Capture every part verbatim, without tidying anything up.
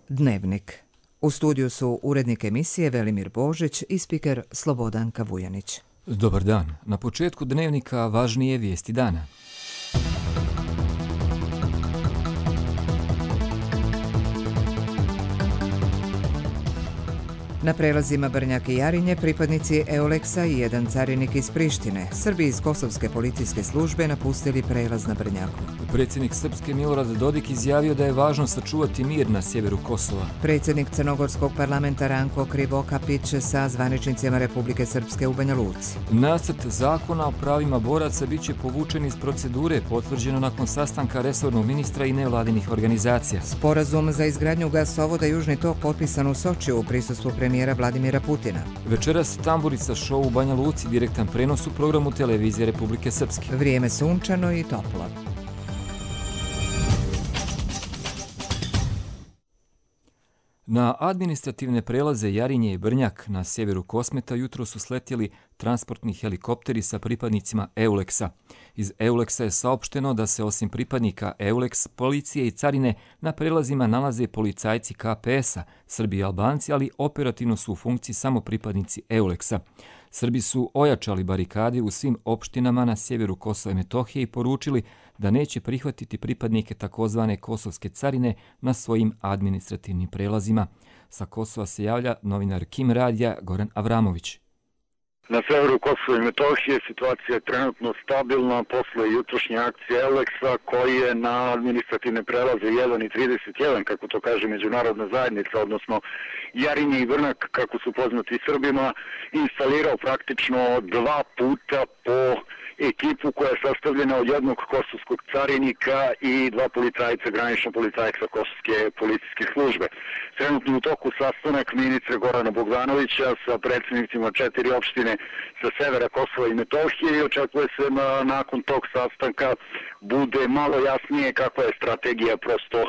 Dnevnik. U studiju su urednik emisije Velimir Božić i spiker Slobodanka Vujanić. Dobar dan. Na početku Dnevnika važnije vijesti dana. Na prelazima Brnjak i Jarinje pripadnici Euleksa i jedan carinik iz Prištine, Srbi iz Kosovske policijske službe napustili prelaz na Brnjaku. Predsjednik Srpske Milorad Dodik izjavio da je važno sačuvati mir na sjeveru Kosova. Predsjednik Crnogorskog parlamenta Ranko Krivokapić sa zvaničnicima Republike Srpske u Banja Luci. Nacrt zakona o pravima boraca bit će povučen iz procedure, potvrđeno nakon sastanka resornog ministra i nevladinih organizacija. Sporazum za izgradnju gasovoda Južni tok potpisan u Sočiju u prisustvu premijera Vladimira Putina. Večeras Tamburica show u Banja Luci, direktan prenos u programu televizije Republike Srpske. Vrijeme sunčano i toplo. Na administrativne prelaze Jarinje i Brnjak na sjeveru Kosmeta jutro su sletjeli transportni helikopteri sa pripadnicima Euleksa. Iz Euleksa je saopšteno da se osim pripadnika Euleks, policije i carine na prelazima nalaze policajci K P S-a, Srbi i Albanci, ali operativno su u funkciji samo pripadnici Euleksa. Srbi su ojačali barikade u svim opštinama na sjeveru Kosova i Metohije i poručili da neće prihvatiti pripadnike takozvane kosovske carine na svojim administrativnim prelazima. Sa Kosova se javlja novinar Kim radija Goran Avramović. Na severu Kosova i Metohije situacija je trenutno stabilna posle jutrošnje akcije Euleksa koji je na administrativne prelaze jedan i trideset jedan, kako to kaže međunarodna zajednica, odnosno Jarinje i Brnjak, kako su poznati Srbima, instalirao praktično dva puta po ekipu koja je sastavljena od jednog kosovskog carinika i dva policajca, granična policajca Kosovske policijske službe. Trenutno u toku sastanak ministra Gorana Bogdanovića sa predsjednicima četiri opštine sa severa Kosova i Metohije i očekuje se da nakon tog sastanka bude malo jasnije kakva je strategija prosto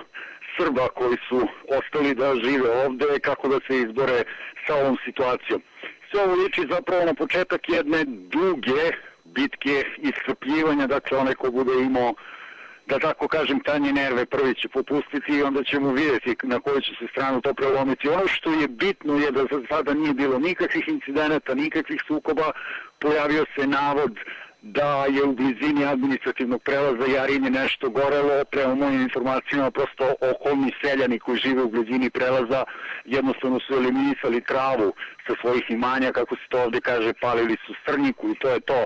Srba koji su ostali da žive ovde, kako da se izbore sa ovom situacijom. Sve ovo liči zapravo na početak jedne duge bitke iscrpljivanja, dakle onaj ko bude imao, da tako kažem, tanje nerve prvi će popustiti i onda ćemo vidjeti na koju će se stranu to prelomiti. Ono što je bitno je da za sada nije bilo nikakvih incidenata, nikakvih sukoba, pojavio se navod da je u blizini administrativnog prelaza Jarinje nešto gorelo. Prema mojim informacijama, prosto okolni seljani koji žive u blizini prelaza jednostavno su eliminisali travu sa svojih imanja, kako se to ovdje kaže, palili su strnjiku i to je to.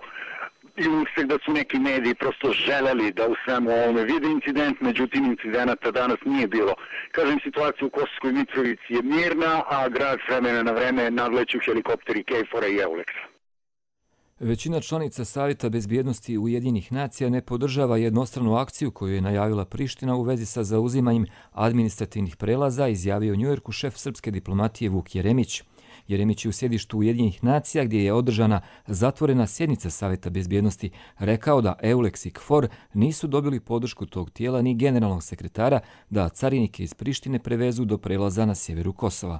I uvijek da su neki mediji prosto želeli da u svemu ovome vide incident, međutim incidenata danas nije bilo. Kažem, situacija u Kosovskoj Mitrovici je mirna, a grad s vremena na vreme nadleću helikopteri Kejfora i Euleksa. Većina članica Savjeta bezbjednosti Ujedinjenih nacija ne podržava jednostranu akciju koju je najavila Priština u vezi sa zauzimanjem administrativnih prelaza, izjavio u Njujorku šef srpske diplomatije Vuk Jeremić. Jeremić je u sjedištu Ujedinjenih nacija, gdje je održana zatvorena sjednica Savjeta bezbjednosti, rekao da Euleks i KFOR nisu dobili podršku tog tijela ni generalnog sekretara da carinike iz Prištine prevezu do prelaza na sjeveru Kosova.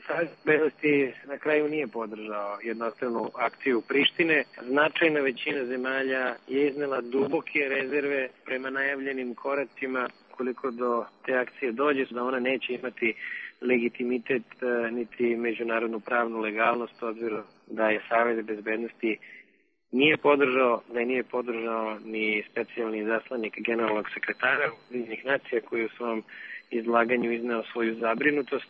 Savjet bezbjednosti na kraju nije podržao jednostranu akciju Prištine. Značajna većina zemalja je iznela duboke rezerve prema najavljenim koracima. Koliko do te akcije dođe, da ona neće imati legitimitet niti međunarodnu pravnu legalnost, obzirom da je Savjet bezbjednosti nije podržao, da je nije podržao ni specijalni zaslanik generalnog sekretara Ujedinjenih nacija koji u svom izlaganju izneo svoju zabrinutost.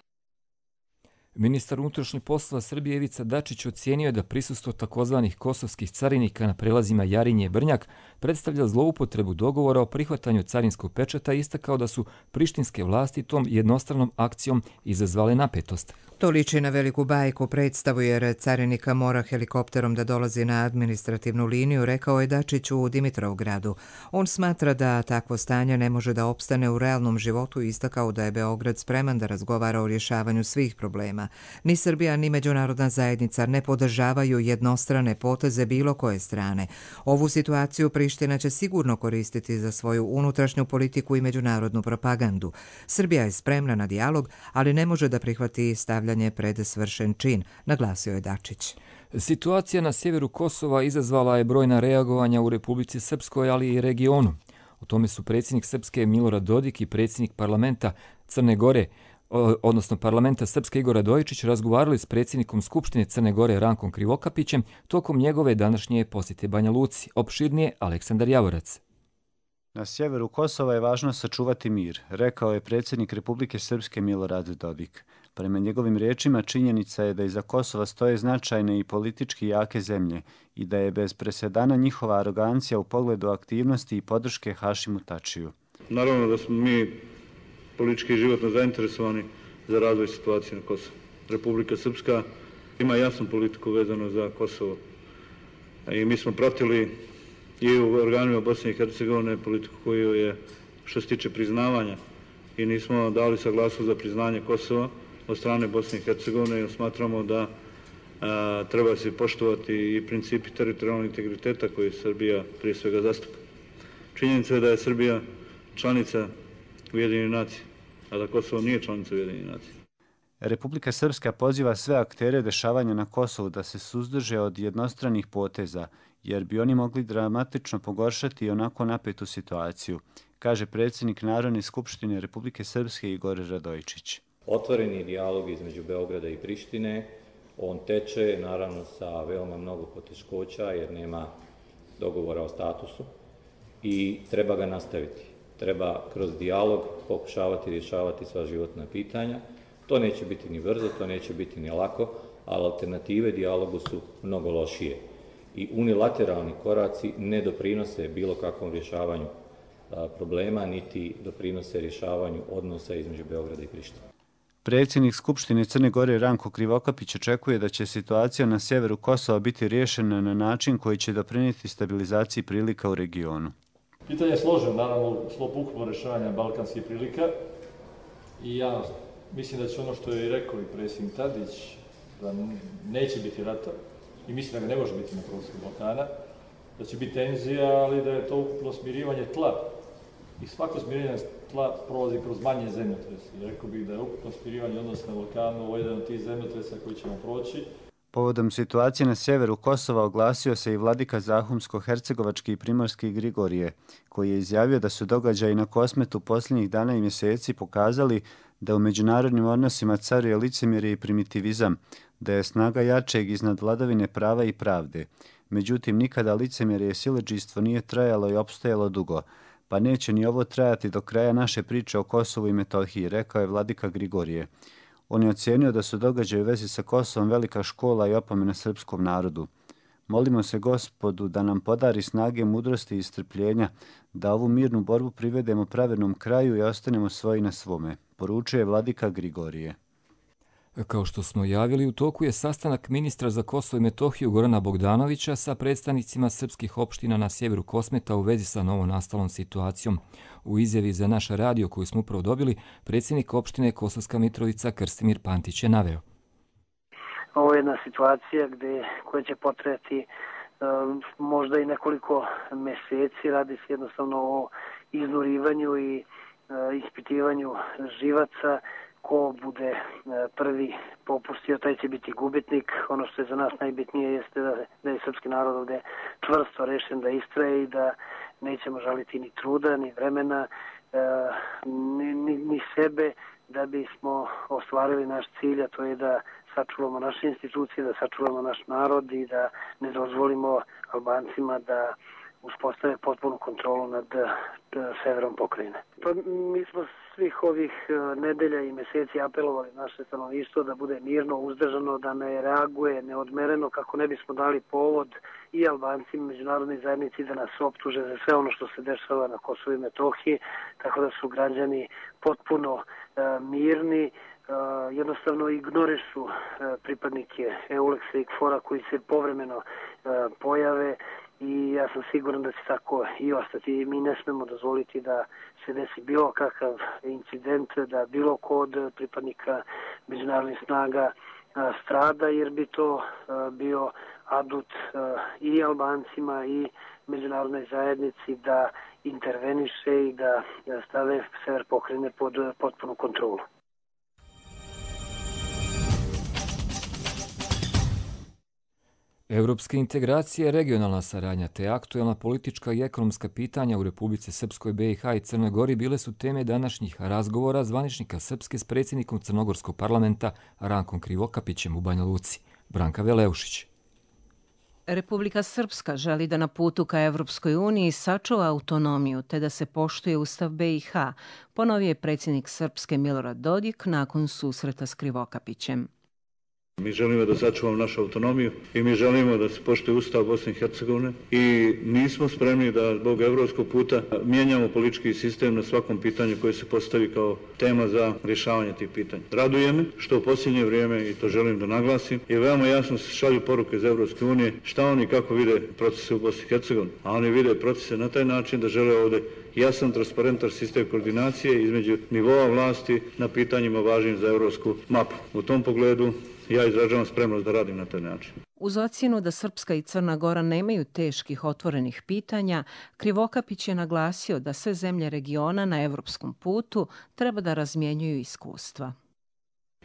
Ministar unutrašnjih poslova Srbije Ivica Dačić ocijenio je da prisustvo takozvanih kosovskih carinika na prelazima Jarinje i Brnjak predstavlja zloupotrebu dogovora o prihvatanju carinskog pečata i istakao da su prištinske vlasti tom jednostranom akcijom izazvale napetost. To liči na veliku bajku predstavu jer carinika mora helikopterom da dolazi na administrativnu liniju, rekao je Dačić u Dimitrovgradu. On smatra da takvo stanje ne može da opstane u realnom životu i istakao da je Beograd spreman da razgovara o rješavanju svih problema. Ni Srbija ni međunarodna zajednica ne podržavaju jednostrane poteze bilo koje strane. Ovu situaciju Priština će sigurno koristiti za svoju unutrašnju politiku i međunarodnu propagandu. Srbija je spremna na dijalog, ali ne može da prihvati stavljanje pred svršen čin, naglasio je Dačić. Situacija na sjeveru Kosova izazvala je brojna reagovanja u Republici Srpskoj, ali i regionu. O tome su predsjednik Srpske Milorad Dodik i predsjednik parlamenta Crne Gore, odnosno parlamenta Srpske Igor Radojičić, razgovarali s predsjednikom Skupštine Crne Gore Rankom Krivokapićem tokom njegove današnje posjete Banja Luci. Opširnije Aleksandar Javorac. Na sjeveru Kosova je važno sačuvati mir, rekao je predsjednik Republike Srpske Milorad Dodik. Prema njegovim riječima, činjenica je da iza Kosova stoje značajne i politički jake zemlje i da je bez presedana njihova arogancija u pogledu aktivnosti i podrške Hašimu Tačiju. Naravno da smo mi politički i životno zainteresovani za razvoj situacije na Kosovu. Republika Srpska ima jasnu politiku vezano za Kosovo i mi smo pratili i u organima Bosne i Hercegovine politiku koju je, što se tiče priznavanja, i nismo dali saglasnost za priznanje Kosova od strane Bosne i Hercegovine, jer smatramo da a, treba se poštovati i principi teritorijalnog integriteta koje Srbija prije svega zastupa. Činjenica je da je Srbija članica Ujedinjenih nacija, a da Kosovo nije članica Ujedinjenih nacija. Republika Srpska poziva sve aktere dešavanja na Kosovu da se suzdrže od jednostranih poteza, jer bi oni mogli dramatično pogoršati onako napetu situaciju, kaže predsjednik Narodne skupštine Republike Srpske Igor Radojičić. Otvoreni dijalog između Beograda i Prištine, on teče naravno sa veoma mnogo poteškoća jer nema dogovora o statusu i treba ga nastaviti. Treba kroz dijalog pokušavati rješavati sva životna pitanja. To neće biti ni brzo, to neće biti ni lako, ali alternative dijalogu su mnogo lošije. I unilateralni koraci ne doprinose bilo kakvom rješavanju problema, niti doprinose rješavanju odnosa između Beograda i Prištine. Predsjednik Skupštine Crne Gore Ranko Krivokapić očekuje da će situacija na sjeveru Kosova biti riješena na način koji će doprinijeti stabilizaciji prilika u regionu. Pitanje je složeno, naravno, u sklopu ukupnog rješavanja balkanskih prilika i ja mislim da će ono što je rekao i predsjednik Tadić, da neće biti rata i mislim da ga ne može biti na prostoru Balkana, da će biti tenzija, ali da je to ukupno smirivanje tla. I svako smirivanje tla prolazi kroz manje zemljotrese. Rekao bih da je ukupno smirivanje odnosa na Balkanu ovo jedan od tih zemljotresa koji ćemo proći. Povodom situacije na sjeveru Kosova oglasio se i vladika Zahumsko-hercegovački i primorski Grigorije, koji je izjavio da su događaji na Kosmetu posljednjih dana i mjeseci pokazali da u međunarodnim odnosima caruje licemjerje i primitivizam, da je snaga jačeg iznad vladavine prava i pravde. Međutim, nikada licemjerje i siledžijstvo nije trajalo i opstajalo dugo, pa neće ni ovo trajati do kraja naše priče o Kosovu i Metohiji, rekao je vladika Grigorije. On je ocijenio da su događaji u vezi sa Kosovom velika škola i opomena srpskom narodu. Molimo se Gospodu da nam podari snage, mudrosti i strpljenja, da ovu mirnu borbu privedemo pravednom kraju i ostanemo svoji na svome, poručuje vladika Grigorije. Kao što smo javili, u toku je sastanak ministra za Kosovo i Metohiju Gorana Bogdanovića sa predstavnicima srpskih opština na sjeveru Kosmeta u vezi sa novonastalom situacijom. U izjavi za naš radio koju smo upravo dobili, predsjednik opštine Kosovska Mitrovica Krstimir Pantić je naveo. Ovo je jedna situacija gde, koja će potrajati um, možda i nekoliko meseci. Radi se jednostavno o iznurivanju i uh, ispitivanju živaca. Ko bude prvi popustio, taj će biti gubitnik. Ono što je za nas najbitnije jeste da, da je srpski narod ovdje čvrsto rešen da istraje i da nećemo žaliti ni truda, ni vremena, ni, ni, ni sebe da bismo ostvarili naš cilj, a to je da sačuvamo naše institucije, da sačuvamo naš narod i da ne dozvolimo Albancima da uspostave potpunu kontrolu nad severom pokrajine. Pa mi smo svih ovih nedelja i meseci apelovali naše stanovništvo da bude mirno, uzdržano, da ne reaguje neodmereno kako ne bismo dali povod i Albancima, međunarodnoj zajednici da nas optuže za sve ono što se dešava na Kosovu i Metohiji, tako da su građani potpuno uh, mirni, uh, jednostavno ignorišu uh, pripadnike Euleksa i Kfora koji se povremeno uh, pojave. I ja sam siguran da će tako i ostati. Mi ne smemo dozvoliti da se desi bilo kakav incident, da bilo ko od pripadnika međunarodnih snaga strada, jer bi to bio adut i Albancima i međunarodnoj zajednici da interveniše i da stave sever pokrajine pod potpunu kontrolu. Evropske integracije, regionalna saradnja te aktuelna politička i ekonomska pitanja u Republici Srpskoj, B i H i Crnoj Gori bile su teme današnjih razgovora zvaničnika Srpske s predsjednikom Crnogorskog parlamenta Rankom Krivokapićem u Banja Luci. Branka Veleušić. Republika Srpska želi da na putu ka Evropskoj uniji sačuva autonomiju te da se poštuje Ustav B i H, ponovio je predsjednik Srpske Milorad Dodik nakon susreta s Krivokapićem. Mi želimo da sačuvamo našu autonomiju i mi želimo da se poštuje Ustav Bosne i Hercegovine i nismo spremni da zbog evropskog puta mijenjamo politički sistem na svakom pitanju koje se postavi kao tema za rješavanje tih pitanja. Raduje me što u posljednje vrijeme, i to želim da naglasim, i veoma jasno se šalju poruke iz Evropske unije šta oni kako vide procese u Bosni i Hercegovini, a oni vide procese na taj način da žele ovdje jasan, transparentan sistem koordinacije između nivoa vlasti na pitanjima važnim za evropsku mapu. U tom pogledu ja izražavam spremnost da radim na taj način. Uz ocjenu da Srpska i Crna Gora nemaju teških otvorenih pitanja, Krivokapić je naglasio da sve zemlje regiona na evropskom putu treba da razmjenjuju iskustva.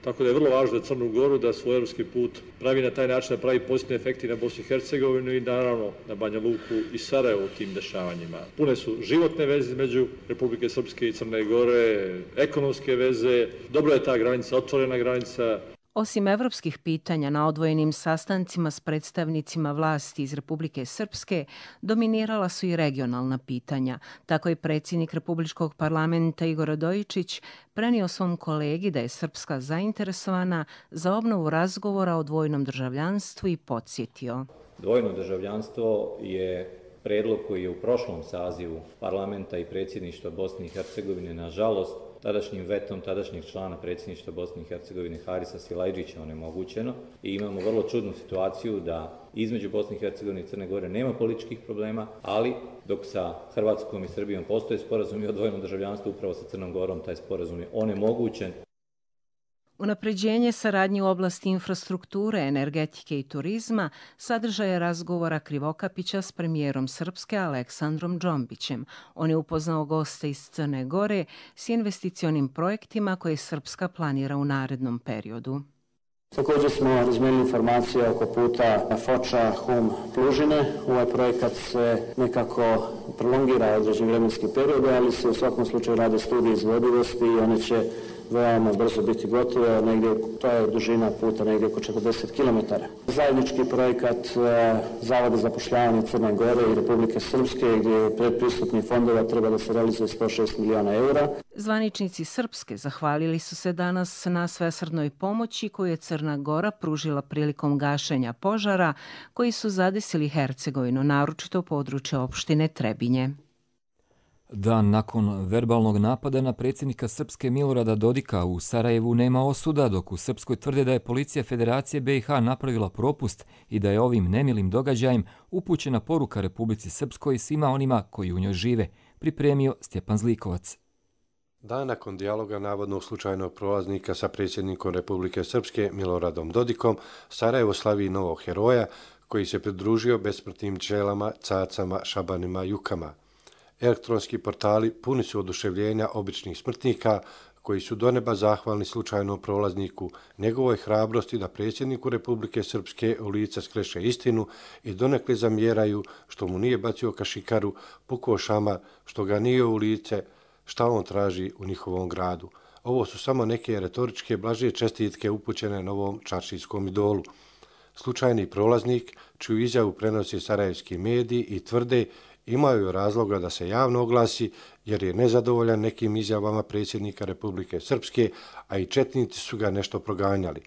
Tako da je vrlo važno za Crnu Goru da svoj evropski put pravi na taj način da pravi pozitivne efekte na Bosnu i Hercegovinu i naravno na Banja Luku i Sarajevo u tim dešavanjima. Pune su životne veze između Republike Srpske i Crne Gore, ekonomske veze, dobro je ta granica, otvorena granica. Osim evropskih pitanja, na odvojenim sastancima s predstavnicima vlasti iz Republike Srpske dominirala su i regionalna pitanja. Tako je predsjednik Republičkog parlamenta Igor Radojičić prenio svom kolegi da je Srpska zainteresovana za obnovu razgovora o dvojnom državljanstvu i podsjetio. Dvojno državljanstvo je predlog koji je u prošlom sazivu parlamenta i predsjedništva Bosne i Hercegovine, nažalost, tadašnjim vetom tadašnjeg člana predsjedništva Bosne i Hercegovine Harisa Silajđića onemogućeno i imamo vrlo čudnu situaciju da između Bosne i Hercegovine i Crne Gore nema političkih problema, ali dok sa Hrvatskom i Srbijom postoje sporazumi o dvojnom državljanstvu, upravo sa Crnom Gorom taj sporazum je onemogućen. Unapređenje saradnje u oblasti infrastrukture, energetike i turizma sadržaje razgovora Krivokapića s premijerom Srpske Aleksandrom Džombićem. On je upoznao goste iz Crne Gore s investicionim projektima koje Srpska planira u narednom periodu. Također smo razmijenili informacije oko puta Foča, Hum, Plužine. Ovaj projekat se nekako prolongira određen vremenski period, ali se u svakom slučaju rade studije izvodivosti i one će veoma brzo biti gotove, negdje, to je dužina puta negdje oko četrdeset kilometara. Zajednički projekat Zavoda za zapošljavanje Crne Gore i Republike Srpske, gdje predpristupnih fondova treba da se realizuje sto šest miliona eura. Zvaničnici Srpske zahvalili su se danas na svesrdnoj pomoći koju je Crna Gora pružila prilikom gašenja požara koji su zadesili Hercegovinu, naročito područje opštine Trebinje. Dan nakon verbalnog napada na predsjednika Srpske Milorada Dodika u Sarajevu nema osuda, dok u Srpskoj tvrde da je policija Federacije B i H napravila propust i da je ovim nemilim događajem upućena poruka Republici Srpskoj i svima onima koji u njoj žive, pripremio Stjepan Zlikovac. Dan nakon dijaloga navodno slučajnog prolaznika sa predsjednikom Republike Srpske Miloradom Dodikom, Sarajevo slavi novog heroja koji se pridružio besmrtnim pčelama, cacama, šabanima, jukama. Elektronski portali puni su oduševljenja običnih smrtnika koji su do neba zahvalni slučajnom prolazniku, njegovoj hrabrosti da predsjedniku Republike Srpske u lice skreše istinu i donekle zamjeraju što mu nije bacio kašikaru, pukao šamar, što ga nije u lice, šta on traži u njihovom gradu. Ovo su samo neke retoričke blaže čestitke upućene novom čaršijskom idolu. Slučajni prolaznik, čiju izjavu prenosi sarajevski mediji i tvrde imaju razloga da se javno oglasi jer je nezadovoljan nekim izjavama predsjednika Republike Srpske, a i četnici su ga nešto proganjali.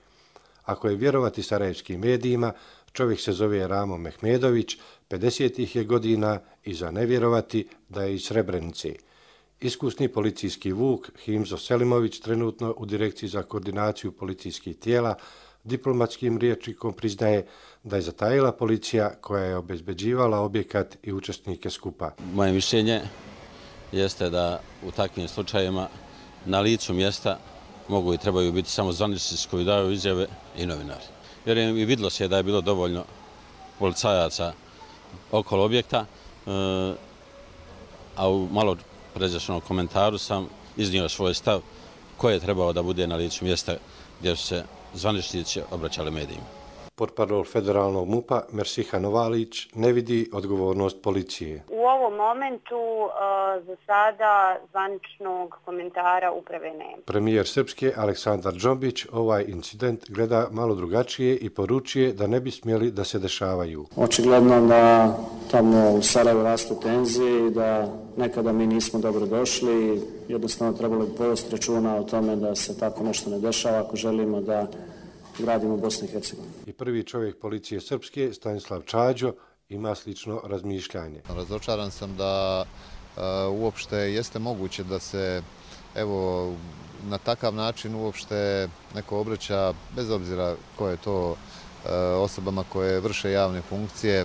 Ako je vjerovati sarajevskim medijima, čovjek se zove Ramo Mehmedović, pedesetih je godina i za ne vjerovati da je iz Srebrenice. Iskusni policijski vuk Himzo Selimović trenutno u Direkciji za koordinaciju policijskih tijela diplomatskim rječnikom priznaje da je zatajila policija koja je obezbeđivala objekat i učesnike skupa. Moje mišljenje jeste da u takvim slučajevima na licu mjesta mogu i trebaju biti samo zvaničnici koji daju izjave i novinari. Vjerujem i vidjelo se da je bilo dovoljno policajaca okolo objekta, a u malo pređašnjem komentaru sam iznio svoj stav ko je trebao da bude na licu mjesta gdje su se zvaničnici obraćali medijima. Portparol federalnog MUP-a Mersiha Novalić ne vidi odgovornost policije. U ovom momentu uh, za sada zvaničnog komentara uprave nema. Premijer Srpske Aleksandar Džombić ovaj incident gleda malo drugačije i poručuje da ne bi smjeli da se dešavaju. Očigledno da tamo u Sarajevu rastu tenzije i da nekada mi nismo dobro došli. Jednostavno trebalo bi povesti računa o tome da se tako nešto ne dešava ako želimo da gradimo Bosnu i Hercegovinu. I prvi čovjek policije Srpske, Stanislav Čađo, ima slično razmišljanje. Razočaran sam da uh, uopšte jeste moguće da se evo na takav način uopšte neko obraća, bez obzira ko je to, uh, osobama koje vrše javne funkcije.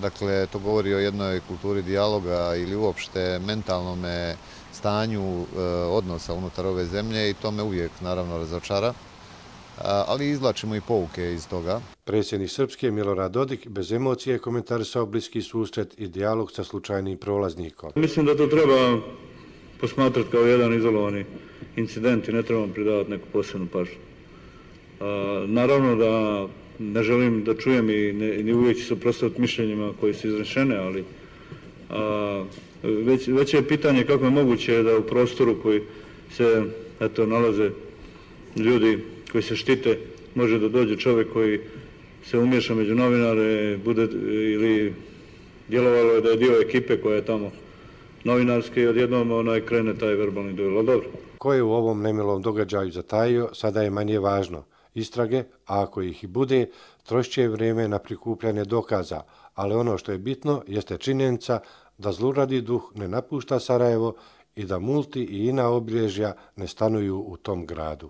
Dakle, to govori o jednoj kulturi dijaloga ili uopšte mentalnome stanju uh, odnosa unutar ove zemlje i to me uvijek naravno razočara. Ali izvlačimo i pouke iz toga. Predsjednik Srpske Milorad Dodik bez emocije komentarisao bliski susret i dijalog sa slučajnim prolaznikom. Mislim da to treba posmatrati kao jedan izolovani incident i ne trebamo pridavati neku posebnu pažnju. Naravno da ne želim da čujem i ne, ni uvijek ću se oprostaviti mišljenjima koji su izrečene, ali a, već, već je pitanje kako je moguće da u prostoru koji se eto, nalaze ljudi koji se štite, može da dođe čovjek koji se umiješa među novinare, bude ili djelovalo je da je dio ekipe koja je tamo novinarske i odjednom onaj krene taj verbalni duel. Dobro. Ko je u ovom nemilom događaju zatajio, sada je manje važno. Istrage, a ako ih i bude, trošće vrijeme na prikupljanje dokaza, ali ono što je bitno jeste činjenica da zluradi duh ne napušta Sarajevo i da multi i ina obilježja ne stanuju u tom gradu.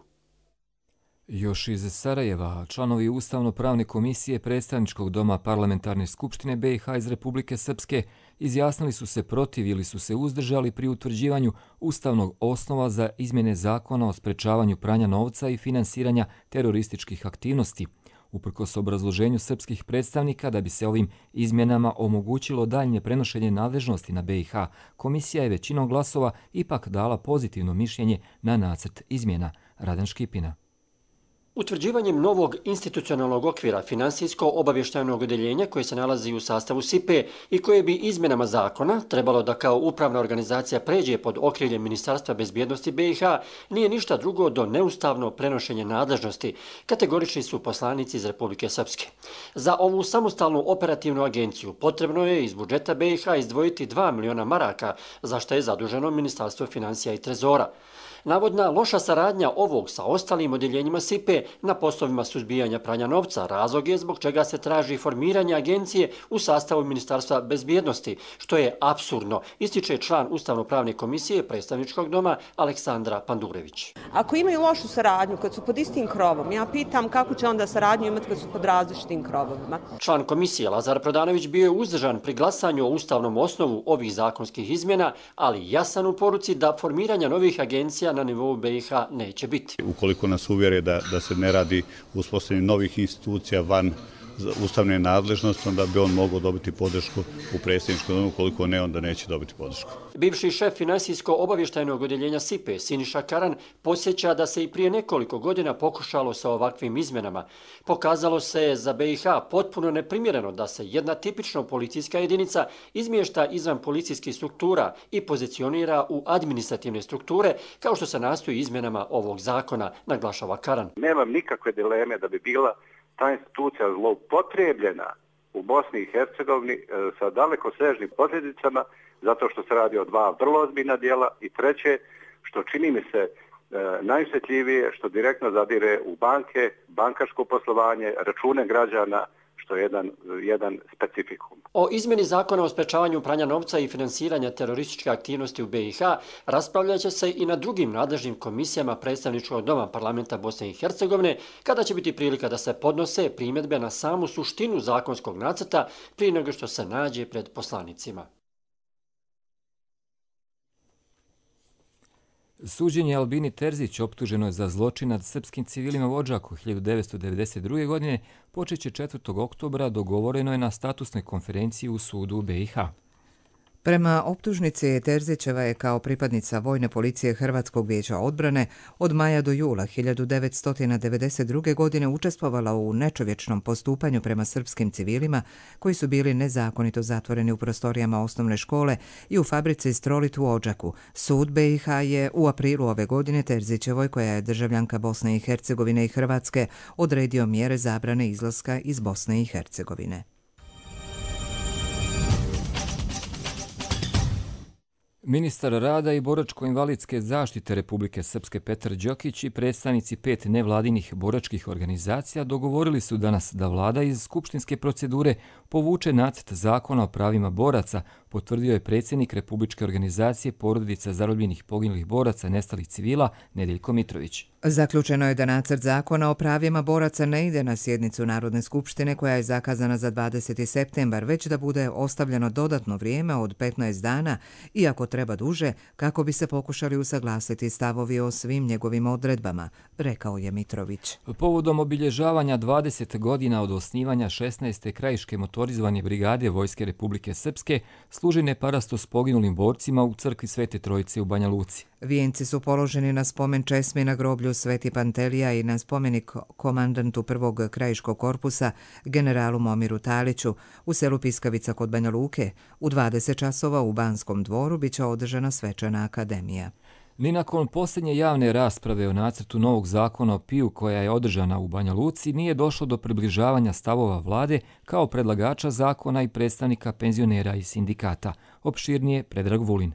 Još iz Sarajeva, članovi Ustavno-pravne komisije Predstavničkog doma Parlamentarne skupštine B i H iz Republike Srpske izjasnili su se protiv ili su se uzdržali pri utvrđivanju ustavnog osnova za izmjene zakona o sprečavanju pranja novca i finansiranja terorističkih aktivnosti. Uprkos obrazloženju srpskih predstavnika da bi se ovim izmjenama omogućilo daljnje prenošenje nadležnosti na B i H, komisija je većinom glasova ipak dala pozitivno mišljenje na nacrt izmjena. Radan Škipina. Utvrđivanjem novog institucionalnog okvira finansijsko-obavještajnog odeljenja koje se nalazi u sastavu S I P E i koje bi izmjenama zakona trebalo da kao upravna organizacija pređe pod okriljem Ministarstva bezbjednosti B i H nije ništa drugo do neustavno prenošenje nadležnosti, kategorični su poslanici iz Republike Srpske. Za ovu samostalnu operativnu agenciju potrebno je iz budžeta B i H izdvojiti dva miliona maraka, za što je zaduženo Ministarstvo financija i trezora. Navodna loša saradnja ovog sa ostalim odjeljenjima S I P E na poslovima suzbijanja pranja novca razlog je zbog čega se traži formiranje agencije u sastavu Ministarstva bezbjednosti, što je apsurdno, ističe član Ustavno-pravne komisije Predstavničkog doma Aleksandra Pandurević. Ako imaju lošu saradnju kad su pod istim krovom, ja pitam kako će onda saradnju imati kad su pod različitim krovovima. Član komisije Lazar Prodanović bio je uzdržan pri glasanju o ustavnom osnovu ovih zakonskih izmjena, ali jasan u poruci da formiranja novih agencija na nivou B i H neće biti. Ukoliko nas uvjere da, da se ne radi uspostavljanje novih institucija van ustavne nadležnosti, onda bi on mogao dobiti podršku u predsjedničkom domu, ukoliko ne, onda neće dobiti podršku. Bivši šef finansijsko-obavještajnog odjeljenja S I P E, Siniša Karan, podsjeća da se i prije nekoliko godina pokušalo sa ovakvim izmjenama. Pokazalo se za B i H potpuno neprimjereno da se jedna tipično policijska jedinica izmješta izvan policijskih struktura i pozicionira u administrativne strukture, kao što se nastoji izmjenama ovog zakona, naglašava Karan. Nemam nikakve dileme da bi bila ta institucija zloupotrijebljena u Bosni i Hercegovini sa dalekosežnim posljedicama, zato što se radi o dva vrlo ozbiljna dijela i treće, što čini mi se najosjetljivije, što direktno zadire u banke, bankarsko poslovanje, račune građana, što je jedan, jedan specifikum. O izmjeni zakona o sprečavanju pranja novca i finansiranja terorističke aktivnosti u B i H raspravljat će se i na drugim nadležnim komisijama Predstavničkog doma Parlamenta Bosne i Hercegovine, kada će biti prilika da se podnose primjedbe na samu suštinu zakonskog nacrta prije nego što se nađe pred poslanicima. Suđenje Albini Terzić, optuženoj za zločin nad srpskim civilima u Odžaku hiljadu devetsto devedeset druge. godine, počeće četvrtog oktobra, dogovoreno je na statusnoj konferenciji u sudu u B i H. Prema optužnici, Terzićeva je kao pripadnica Vojne policije Hrvatskog vijeća odbrane od maja do jula hiljadu devetsto devedeset druge. godine učestvovala u nečovječnom postupanju prema srpskim civilima koji su bili nezakonito zatvoreni u prostorijama osnovne škole i u fabrici Strolit u Odžaku. Sud B i H je u aprilu ove godine Terzićevoj, koja je državljanka Bosne i Hercegovine i Hrvatske, odredio mjere zabrane izlaska iz Bosne i Hercegovine. Ministar rada i boračko-invalidske zaštite Republike Srpske Petar Đokić i predstavnici pet nevladinih boračkih organizacija dogovorili su danas da vlada iz skupštinske procedure povuče nacrt zakona o pravima boraca, potvrdio je predsjednik Republičke organizacije porodica zarobljenih poginulih boraca nestalih civila Nedeljko Mitrović. Zaključeno je da nacrt zakona o pravima boraca ne ide na sjednicu Narodne skupštine koja je zakazana za dvadeseti septembar, već da bude ostavljeno dodatno vrijeme od petnaest dana, iako treba duže, kako bi se pokušali usaglasiti stavovi o svim njegovim odredbama, rekao je Mitrović. Povodom obilježavanja dvadeset godina od osnivanja šesnaeste krajiške motorizovane brigade Vojske Republike Srpske, služi parasto s poginulim borcima u crkvi Svete Trojice u Banja Luci. Vijenci su položeni na spomen česmi na groblju Sveti Pantelija i na spomenik komandantu prvog krajiškog korpusa, generalu Momiru Taliću, u selu Piskavica kod Banja Luke. U dvadeset časova u Banskom dvoru biće održana svečana akademija. Ni nakon posljednje javne rasprave o nacrtu novog zakona o P I U koja je održana u Banja Luci nije došlo do približavanja stavova vlade kao predlagača zakona i predstavnika penzionera i sindikata. Opširnije Predrag Vulin.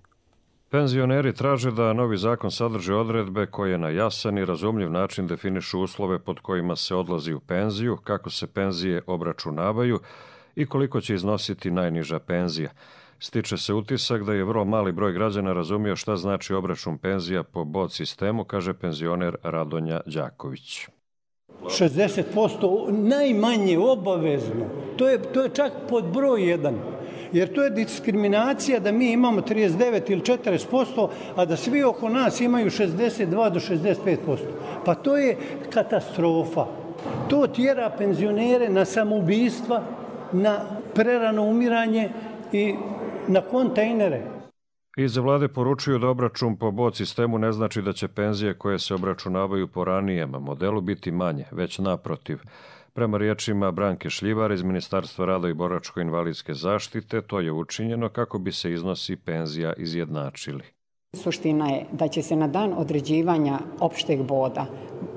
Penzioneri traže da novi zakon sadrži odredbe koje na jasan i razumljiv način definišu uslove pod kojima se odlazi u penziju, kako se penzije obračunavaju i koliko će iznositi najniža penzija. Stiče se utisak da je vrlo mali broj građana razumio šta znači obračun penzija po bod sistemu, kaže penzioner Radonja Đaković. šezdeset posto najmanje obavezno, to je, to je čak pod broj jedan. Jer to je diskriminacija da mi imamo trideset devet ili četrdeset posto, a da svi oko nas imaju šezdeset dva do šezdeset pet posto. Pa to je katastrofa. To tjera penzionere na samoubistva, na prerano umiranje i na kontejnere. Iz vlade poručuju da obračun po bod sistemu ne znači da će penzije koje se obračunavaju po ranijem modelu biti manje, već naprotiv. Prema riječima Branke Šljivar iz Ministarstva rada i boračko-invalidske zaštite, to je učinjeno kako bi se iznosi penzija izjednačili. Suština je da će se na dan određivanja opšteg boda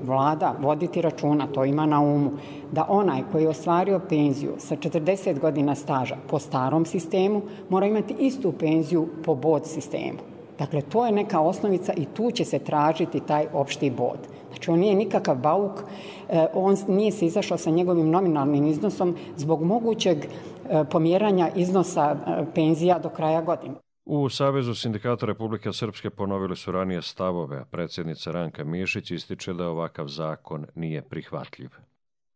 vlada voditi računa, to ima na umu, da onaj koji je ostvario penziju sa četrdeset godina staža po starom sistemu mora imati istu penziju po bod sistemu. Dakle, to je neka osnovica i tu će se tražiti taj opšti bod. Znači, on nije nikakav bauk, on nije se izašao sa njegovim nominalnim iznosom zbog mogućeg pomjeranja iznosa penzija do kraja godine. U Savezu sindikata Republike Srpske ponovili su ranije stavove, a predsjednica Ranka Mišić ističe da ovakav zakon nije prihvatljiv.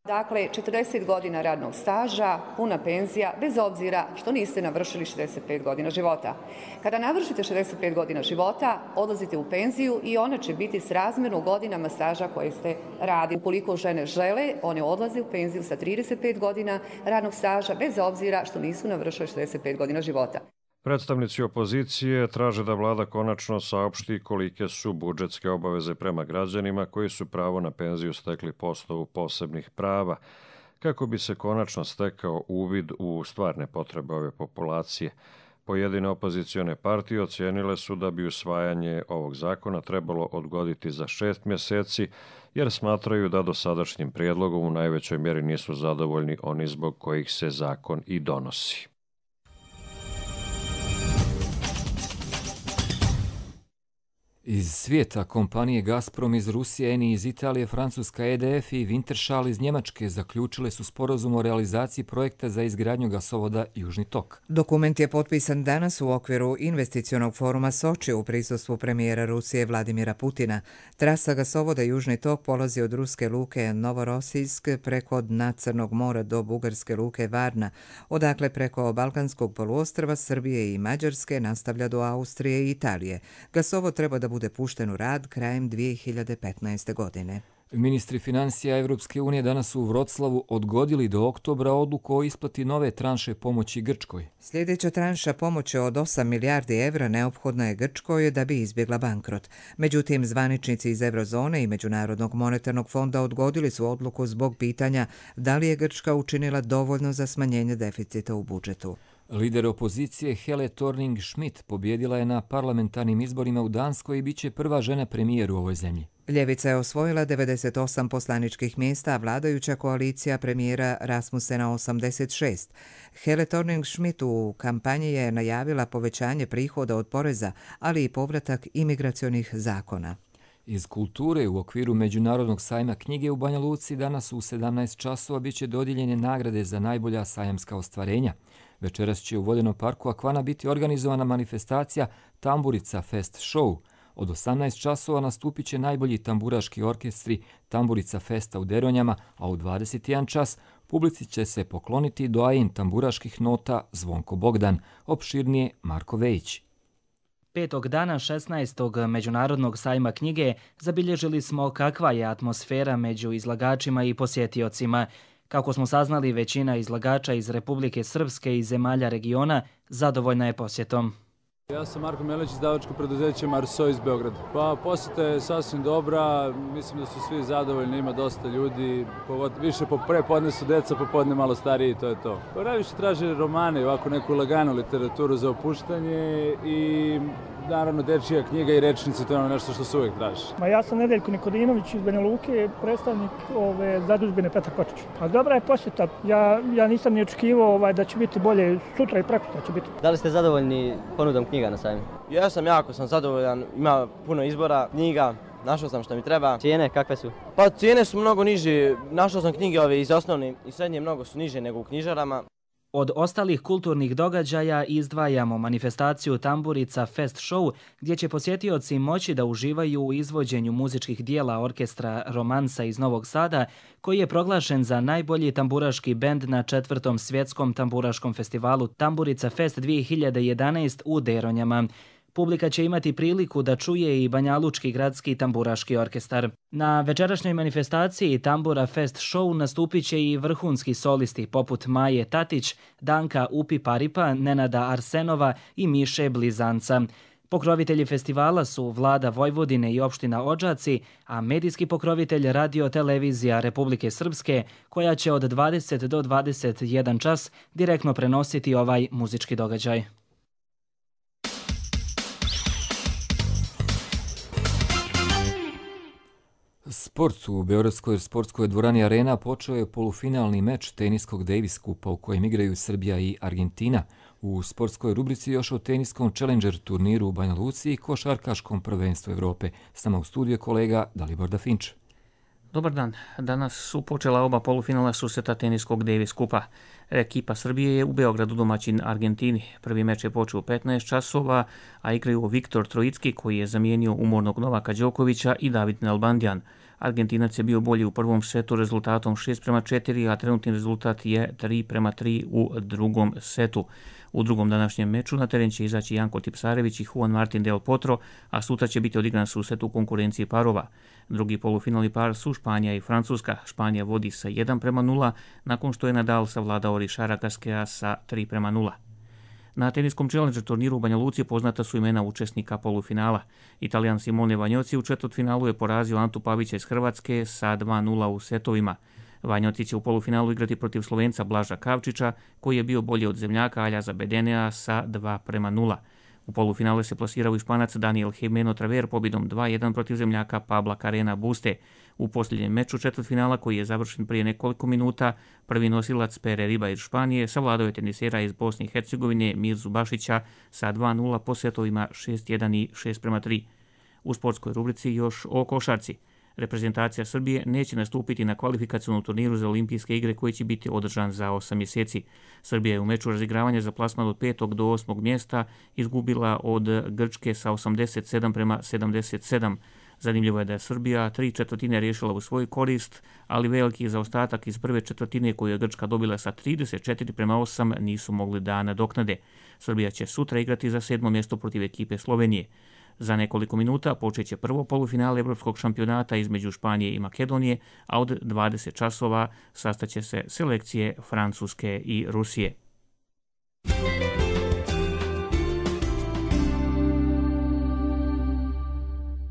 Dakle, četrdeset godina radnog staža, puna penzija, bez obzira što niste navršili šezdeset pet godina života. Kada navršite šezdeset pet godina života, odlazite u penziju i ona će biti srazmjerno godinama staža koje ste radili. Ukoliko žene žele, one odlaze u penziju sa trideset pet godina radnog staža, bez obzira što nisu navršili šezdeset pet godina života. Predstavnici opozicije traže da vlada konačno saopšti kolike su budžetske obaveze prema građanima koji su pravo na penziju stekli po osnovu posebnih prava, kako bi se konačno stekao uvid u stvarne potrebe ove populacije. Pojedine opozicione partije ocijenile su da bi usvajanje ovog zakona trebalo odgoditi za šest mjeseci, jer smatraju da dosadašnjim prijedlogom u najvećoj mjeri nisu zadovoljni oni zbog kojih se zakon i donosi. Iz svijeta kompanije Gazprom iz Rusije, Eni iz Italije, Francuska E D F i Wintershall iz Njemačke zaključile su sporazum o realizaciji projekta za izgradnju gasovoda Južni tok. Dokument je potpisan danas u okviru investicionog foruma Soči u prisustvu premijera Rusije Vladimira Putina. Trasa gasovoda Južni tok polazi od ruske luke Novorosijsk preko dna Crnog mora do bugarske luke Varna, odakle preko Balkanskog poluostrva, Srbije i Mađarske nastavlja do Austrije i Italije. Gasovod treba da bude pušten u rad krajem dvije hiljade petnaeste. godine. Ministri financija Evropske unije danas su u Vroclavu odgodili do oktobra odluku o isplati nove tranše pomoći Grčkoj. Sljedeća tranša pomoći od osam milijardi evra neophodna je Grčkoj da bi izbjegla bankrot. Međutim, zvaničnici iz Eurozone i Međunarodnog monetarnog fonda odgodili su odluku zbog pitanja da li je Grčka učinila dovoljno za smanjenje deficita u budžetu. Lider opozicije Helle Thorning-Schmidt pobjedila je na parlamentarnim izborima u Danskoj i bit će prva žena premijer u ovoj zemlji. Ljevica je osvojila devedeset osam poslaničkih mjesta, a vladajuća koalicija premijera Rasmussena osamdeset šest. Helle Thorning-Schmidt u kampanji je najavila povećanje prihoda od poreza, ali i povratak imigracionih zakona. Iz kulture u okviru Međunarodnog sajma knjige u Banja Luci danas u sedamnaest časova bit će dodijeljene nagrade za najbolja sajamska ostvarenja. Večeras će u Vodenom parku Akvana biti organizovana manifestacija Tamburica Fest Show. Od osamnaest časova nastupit će najbolji tamburaški orkestri Tamburica Festa u Deronjama, a u dvadeset jedan čas publici će se pokloniti doajen tamburaških nota Zvonko Bogdan, opširnije Marko Vejić. Petog dana šesnaestog Međunarodnog sajma knjige zabilježili smo kakva je atmosfera među izlagačima i posjetiocima. Kako smo saznali, većina izlagača iz Republike Srpske i zemalja regiona zadovoljna je posjetom. Ja sam Marko Melić, izdavačko preduzeće Marso iz Beograda. Pa posjeta je sasvim dobra, mislim da su svi zadovoljni, ima dosta ljudi, više prepodne su deca, popodne malo stariji, to je to. Pa najviše traže romane, ovako neku laganu literaturu za opuštanje i naravno dečija knjiga i rečnice, to je ono nešto što se uvijek traži. Ma ja sam Nedeljko Nikodinović iz Banja Luke, predstavnik ove zadužbine Petar Kočić. A dobra je posjeta, ja, ja nisam ni očekivao ovaj, da će biti bolje, sutra i prekosutra će biti. Da li ste zadovoljni ponudom knjiga na sajmu? Ja sam jako sam zadovoljan, ima puno izbora knjiga, našao sam što mi treba. Cijene kakve su? Pa cijene su mnogo niže, našao sam knjige ove iz osnovne i srednje mnogo su niže nego u knjižarama. Od ostalih kulturnih događaja izdvajamo manifestaciju Tamburica Fest Show, gdje će posjetioci moći da uživaju u izvođenju muzičkih dijela orkestra Romansa iz Novog Sada, koji je proglašen za najbolji tamburaški bend na četvrtom svjetskom tamburaškom festivalu Tamburica Fest dvije hiljade jedanaest u Deronjama. Publika će imati priliku da čuje i Banjalučki gradski tamburaški orkestar. Na večerašnjoj manifestaciji Tambura Fest Show nastupit će i vrhunski solisti poput Maje Tatić, Danka Upi Paripa, Nenada Arsenova i Miše Blizanca. Pokrovitelji festivala su Vlada Vojvodine i opština Odžaci, a medijski pokrovitelj Radio Televizija Republike Srpske, koja će od dvadeset do dvadeset jedan čas direktno prenositi ovaj muzički događaj. Sport u Beogradskoj sportskoj dvorani Arena počeo je polufinalni meč teniskog Davis Kupa u kojem igraju Srbija i Argentina. U sportskoj rubrici još o teniskom Challenger turniru u Banja Luci i košarkaškom prvenstvu Evrope. S nama u studiju kolega Dalibor Dafinč. Dobar dan. Danas su počela oba polufinala susreta teniskog Davis Kupa. Ekipa Srbije je u Beogradu domaćin Argentini. Prvi meč je počeo u petnaest časova, a igraju Viktor Trojicki koji je zamijenio umornog Novaka Đokovića i David Nalbandian. Argentinac je bio bolji u prvom setu rezultatom šest prema četiri, a trenutni rezultat je tri prema tri u drugom setu. U drugom današnjem meču na teren će izaći Janko Tipsarević i Juan Martin Del Potro, a sutra će biti odigran susret u konkurenciji parova. Drugi polufinalni par su Španija i Francuska. Španija vodi sa jedan prema nula, nakon što je Nadal savladao Rišara Gaskea sa tri prema nula. Na teniskom Challenger turniru u Banja Luci poznata su imena učesnika polufinala. Italijan Simone Vanjoci u četvrtfinalu je porazio Antu Pavića iz Hrvatske sa dva nula u setovima. Vanjoci će u polufinalu igrati protiv Slovenca Blaža Kavčića, koji je bio bolji od zemljaka Aljaza Bedenea sa dva prema nula. U polufinale se plasirao i Španac Daniel Jimeno Traver pobjedom dva jedan protiv zemljaka Pabla Carrena Buste. U posljednjem meču četvrtfinala, koji je završen prije nekoliko minuta, prvi nosilac Pere Riba iz Španije savladao je tenisera iz Bosne i Hercegovine Mirzu Bašića sa dva nula po setovima šest jedan i šest prema tri. U sportskoj rubrici još o košarci. Reprezentacija Srbije neće nastupiti na kvalifikacionom turniru za olimpijske igre koji će biti održan za osam mjeseci. Srbija je u meču razigravanja za plasman od petog do osmog mjesta izgubila od Grčke sa osamdeset sedam prema sedamdeset sedam. Zanimljivo je da je Srbija tri četvrtine riješila u svoj korist, ali veliki zaostatak iz prve četvrtine koju je Grčka dobila sa trideset četiri prema osam nisu mogli da nadoknade. Srbija će sutra igrati za sedmo mjesto protiv ekipe Slovenije. Za nekoliko minuta počeće prvo polufinale Evropskog šampionata između Španije i Makedonije, a od dvadeset časova sastaće se selekcije Francuske i Rusije.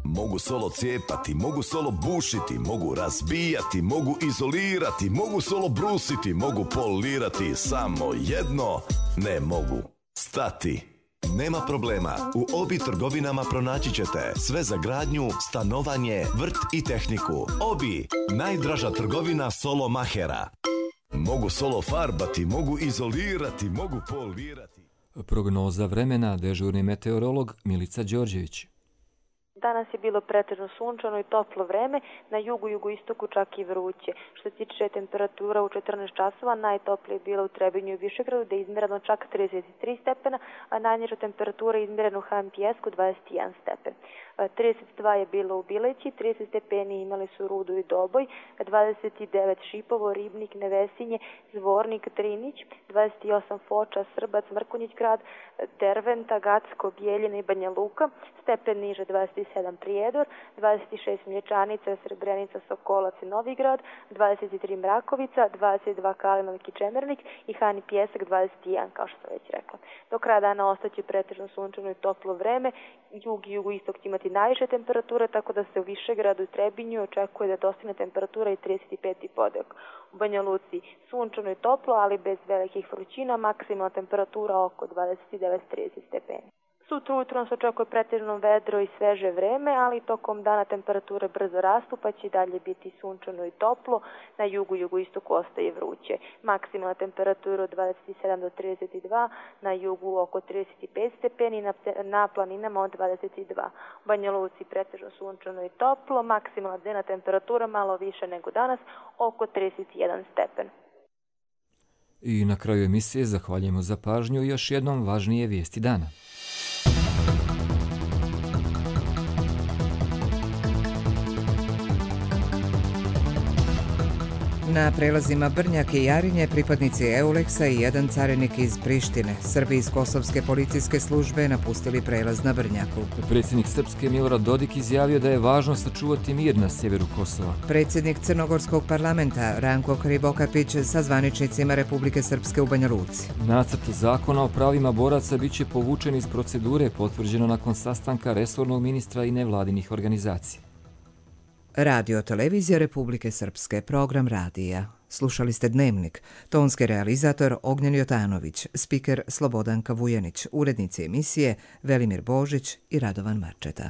Mogu solo cijepati, mogu solo bušiti, mogu razbijati, mogu izolirati, mogu solo brusiti, mogu polirati, samo jedno ne mogu stati. Nema problema, u Obi trgovinama pronaći ćete sve za gradnju, stanovanje, vrt i tehniku. Obi, najdraža trgovina solo mahera. Mogu solo farbati, mogu izolirati, mogu polirati. Prognoza vremena, dežurni meteorolog Milica Đorđević. Danas je bilo pretežno sunčano i toplo vreme, na jugu, jugoistoku čak i vruće. Što se tiče temperatura u četrnaest časova, najtoplije je bilo u Trebinju i Višegradu, gde je izmjereno čak trideset tri stepena, a najniža temperatura je izmjerena u Ha em Pjesku dvadeset jedan stepen. trideset dva je bilo u Bileći, trideset stepeni imali su Rudo i Doboj, dvadeset devet Šipovo, Ribnik, Nevesinje, Zvornik, Trinić, dvadeset osam Foča, Srbac, Mrkonjić grad, Derventa, Gacko, Bijeljina i Banja Luka, stepen niže dvadeset sedam Prijedor, dvadeset šest Mlječanica, Srebrenica, Sokolac i Novigrad, dvadeset tri Mrakovica, dvadeset dva Kalinovik i Čemernik i Han i Pjesak dvadeset jedan, kao što sam već rekla. Do kraja dana ostaće pretežno sunčano i toplo vreme, jug i jugoistok će imati najviše temperature, tako da se u Višegradu i Trebinju očekuje da dostigne temperatura i trideset pet i podjak. U Banja Luci sunčano i toplo, ali bez velikih vrućina, maksimalna temperatura oko dvadeset devet do trideset stepeni. Sutra ujutro nas očekuje pretežno vedro i sveže vreme, ali tokom dana temperature brzo rastu, pa će i dalje biti sunčano i toplo. Na jugu i jugoistoku ostaje vruće. Maksimalna temperatura od dvadeset sedam do trideset dva, na jugu oko trideset pet stepeni, na, na planinama od dvadeset dva. U Banja Luci pretežno sunčano i toplo, maksimalna dnevna temperatura malo više nego danas, oko trideset jedan stepen. I na kraju emisije zahvaljujemo za pažnju i još jednom važnije vijesti dana. Na prelazima Brnjak i Jarinje pripadnici Euleksa i jedan carinik iz Prištine, Srbi iz Kosovske policijske službe, napustili prelaz na Brnjaku. Predsjednik Srpske Milorad Dodik izjavio da je važno sačuvati mir na sjeveru Kosova. Predsjednik Crnogorskog parlamenta Ranko Krivokapić sa zvaničnicima Republike Srpske u Banja Luci. Nacrt zakona o pravima boraca bit će povučen iz procedure, potvrđeno nakon sastanka resornog ministra i nevladinih organizacija. Radio televizija Republike Srpske, program radija. Slušali ste Dnevnik, tonski realizator Ognjen Jotanović, spiker Slobodanka Vujanić, urednici emisije Velimir Božić i Radovan Marčeta.